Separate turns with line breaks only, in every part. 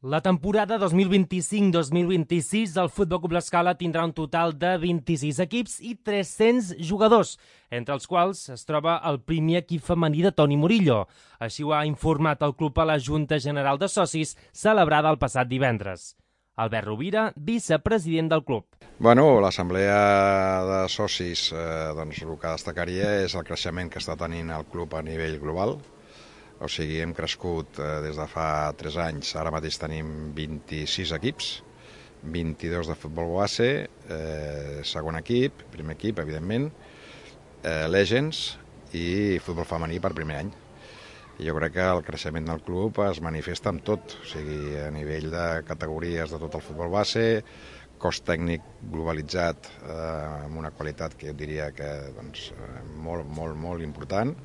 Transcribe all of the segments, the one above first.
La temporada 2025-2026 del Futbol Club L'Escala tindrà un total de 26 equips i 300 jugadors, entre els quals es troba el primer equip femení de Toni Murillo. Així ho ha informat el club a la Junta General de Socis, celebrada el passat divendres. Albert Rovira, vicepresident del club.
L'assemblea de socis, el que destacaria és el creixement que està tenint el club a nivell global. O sigui, hem crescut des de fa 3 anys, ara mateix tenim 26 equips, 22 de futbol base, segon equip, primer equip, evidentment, Legends i futbol femení per primer any. I jo crec que el creixement del club es manifesta amb tot, o sigui, a nivell de categories de tot el futbol base, cos tècnic globalitzat amb una qualitat que jo diria que molt important.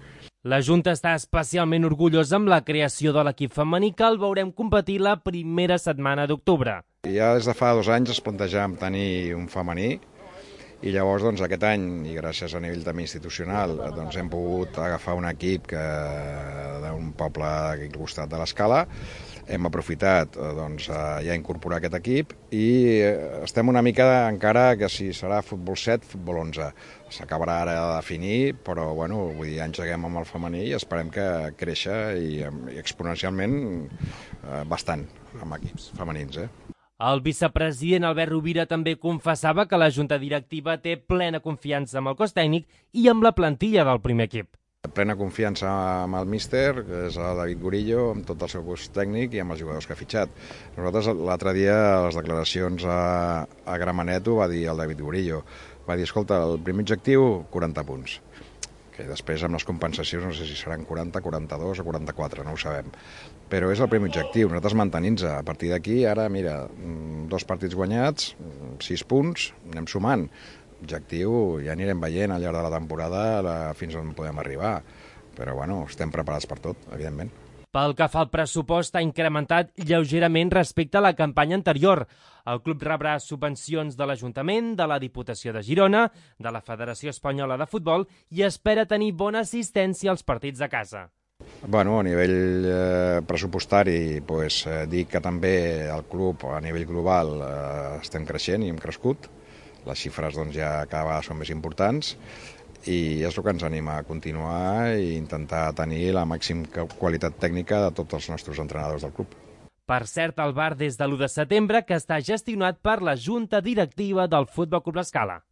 La Junta està especialment orgullosa amb la creació de l'equip femení que el veurem competir la primera setmana d'octubre.
Ja des de fa 2 anys es plantejàvem tenir un femení i llavors aquest any, i gràcies a nivell també institucional, hem pogut agafar un equip d'un poble aquí al costat de l'Escala. Hem aprofitat ja incorporar aquest equip i estem una mica encara que si serà futbol 7, futbol 11. S'acabarà ara de definir, però engeguem amb el femení i esperem que créixer i exponencialment bastant amb equips femenins.
El vicepresident Albert Rovira també confessava que la Junta Directiva té plena confiança amb el cos tècnic i amb la plantilla del primer equip.
Plena confiança amb el míster, que és el David Gurillo, amb tot el seu cos tècnic i amb els jugadors que ha fitxat. Nosaltres l'altre dia, a les declaracions a Gramenet, ho va dir el David Gurillo. Va dir, escolta, el primer objectiu, 40 punts. Que després amb les compensacions no sé si seran 40, 42 o 44, no ho sabem. Però és el primer objectiu, nosaltres mantenint-se. A partir d'aquí, ara, mira, 2 partits guanyats, 6 punts, anem sumant. Objectiu, ja anirem veient al llarg de la temporada fins on podem arribar. Però, estem preparats per tot, evidentment.
Pel que fa al pressupost, ha incrementat lleugerament respecte a la campanya anterior. El club rebrà subvencions de l'Ajuntament, de la Diputació de Girona, de la Federació Espanyola de Futbol i espera tenir bona assistència als partits de casa.
A nivell pressupostari, dic que també el club a nivell global estem creixent i hem crescut. Les xifres ja cada vegada són més importants i és el que ens anima a continuar i intentar tenir la màxima qualitat tècnica de tots els nostres entrenadors del club.
Per cert, el bar des de l'1 de setembre que està gestionat per la Junta Directiva del Futbol Club L'Escala.